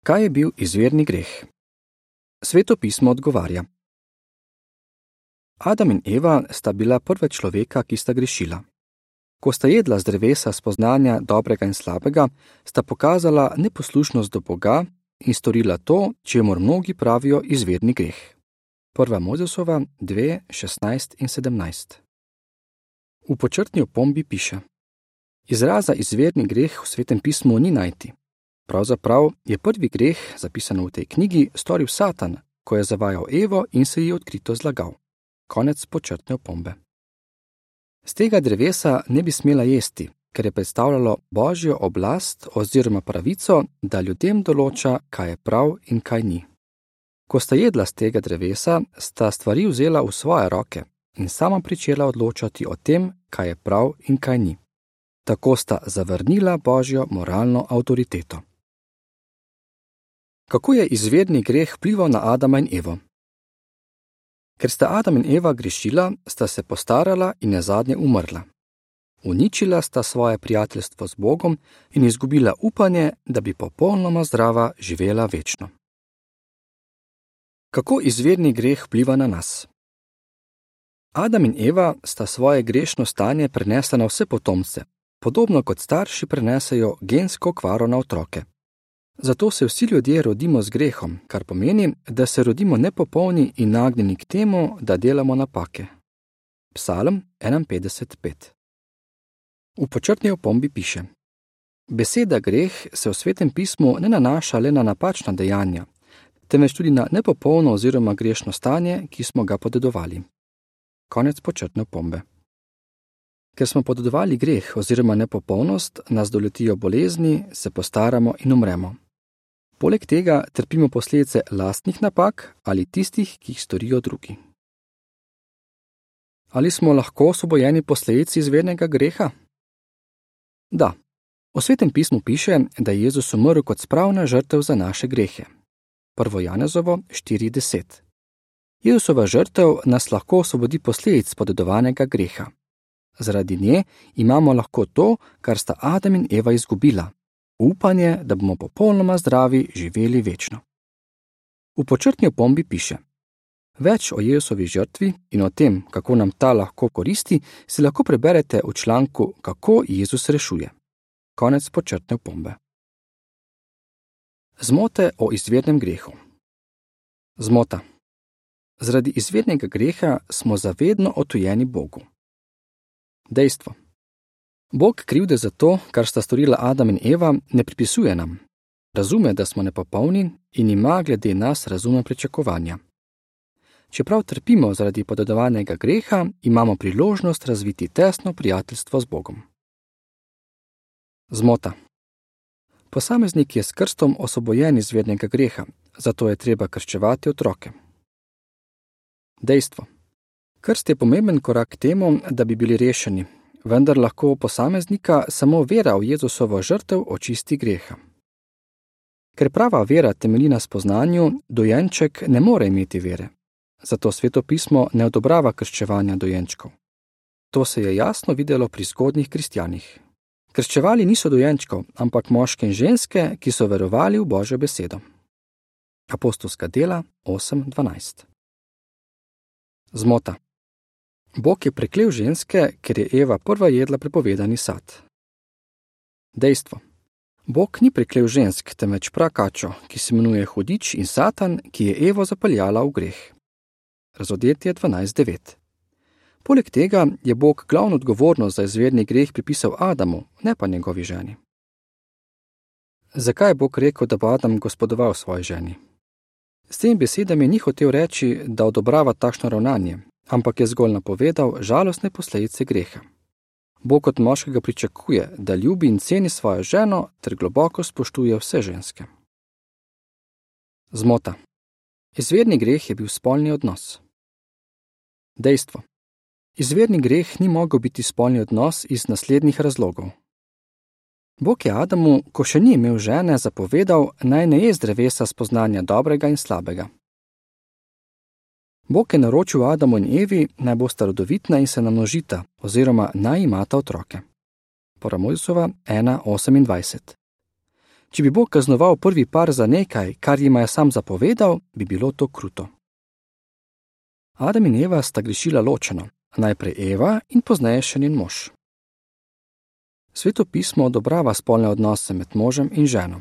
Kaj je bil izvirni greh? Sveto pismo odgovarja. Adam in Eva sta bila prva človeka, ki sta grešila. Ko sta jedla z drevesa spoznanja dobrega in slabega, sta pokazala neposlušnost do Boga in storila to, čemur mnogi pravijo izvirni greh. 1. Mojzesova 2, 16 in 17. V počrtni opombi piše: Izraza izvirni greh v Svetem pismu ni najti. Pravzaprav je prvi greh, zapisan v tej knjigi, storil Satan, ko je zavajal Evo in se ji odkrito zlagal. Konec počrtne opombe. Z tega drevesa ne bi smela jesti, ker je predstavljalo Božjo oblast oziroma pravico, da ljudem določa, kaj je prav in kaj ni. Ko sta jedla z tega drevesa, sta stvari vzela v svoje roke in sama pričela odločati o tem, kaj je prav in kaj ni. Tako sta zavrnila Božjo moralno avtoriteto. Kako je izvirni greh vplival na Adama in Evo? Ker sta Adam in Eva grešila, sta se postarala in nazadnje umrla. Uničila sta svoje prijateljstvo z Bogom in izgubila upanje, da bi popolnoma zdrava živela večno. Kako izvirni greh vpliva na nas? Adam in Eva sta svoje grešno stanje prenesla na vse potomce, podobno kot starši prenesejo gensko okvaro na otroke. Zato se vsi ljudje rodimo z grehom, kar pomeni, da se rodimo nepopolni in nagnjeni k temu, da delamo napake. Psalm 51:5. V počrtni opombi piše: Beseda greh se v Svetem pismu ne nanaša le na napačna dejanja, temveč tudi na nepopolno oziroma grešno stanje, ki smo ga podedovali. Konec počrtne opombe. Ker smo podedovali greh oziroma nepopolnost, nas doletijo bolezni, se postaramo in umremo. Poleg tega trpimo posledice lastnih napak ali tistih, ki jih storijo drugi. Ali smo lahko osvobojeni posledic izvirnega greha? Da. V Svetem pismu piše, da je Jezus umrl kot spravna žrtev za naše grehe. 1. Janezovo 4:10. Jezusova žrtev nas lahko osvobodi posledic podedovanega greha. Zaradi nje imamo lahko to, kar sta Adam in Eva izgubila, upanje, da bomo popolnoma zdravi živeli večno. V počrtni opombi piše: Več o Jezusovi žrtvi in o tem, kako nam ta lahko koristi, si lahko preberete v članku Kako Jezus rešuje. Konec počrtne opombe. Zmote o izvirnem grehu. Zmota. Zaradi izvirnega greha smo zavedno odtujeni Bogu. Dejstvo. Bog krivde za to, kar sta storila Adam in Eva, ne pripisuje nam. Razume, da smo nepopolni in ima glede nas razumna pričakovanja. Čeprav trpimo zaradi podedovanega greha, imamo priložnost razviti tesno prijateljstvo z Bogom. Zmota. Posameznik je s krstom osvobojen izvirnega greha, zato je treba krščevati otroke. Dejstvo. Krst je pomemben korak k temu, da bi bili rešeni, vendar lahko posameznika samo vera v Jezusovo žrtev očisti greha. Ker prava vera temelji na spoznanju, dojenček ne more imeti vere. Zato Sveto pismo ne odobrava krščevanja dojenčkov. To se je jasno videlo pri zgodnjih kristjanih. Krščevali niso dojenčkov, ampak moške in ženske, ki so verovali v Božjo besedo. Apostolska dela 8:12. Zmota. Bog je preklel ženske, ker je Eva prva jedla prepovedani sad. Dejstvo. Bog ni preklel žensk, temveč prakačo, ki se imenuje hudič, in Satan, ki je Evo zapeljala v greh. Razodetje 12:9. Poleg tega je Bog glavno odgovornost za izvirni greh pripisal Adamu, ne pa njegovi ženi. Zakaj je Bog rekel, da bo Adam gospodoval svoji ženi? S temi besedami ni hotel reči, da odobrava takšno ravnanje, ampak je zgolj napovedal žalostne posledice greha. Bog od moškega pričakuje, da ljubi in ceni svojo ženo ter globoko spoštuje vse ženske. Zmota. Izvirni greh je bil spolni odnos. Dejstvo. Izvirni greh ni mogel biti spolni odnos iz naslednjih razlogov. Bog je Adamu, ko še ni imel žene, zapovedal, naj ne je z drevesa spoznanja dobrega in slabega. Bog je naročil Adamu in Evi, naj bosta rodovitna in se namnožita, oziroma naj imata otroke. 1. Mojzesova 1:28. Če bi Bog kaznoval prvi par za nekaj, kar jima je sam zapovedal, bi bilo to kruto. Adam in Eva sta grešila ločeno, najprej Eva in pozneje še njen mož. Sveto pismo odobrava spolne odnose med možem in ženo.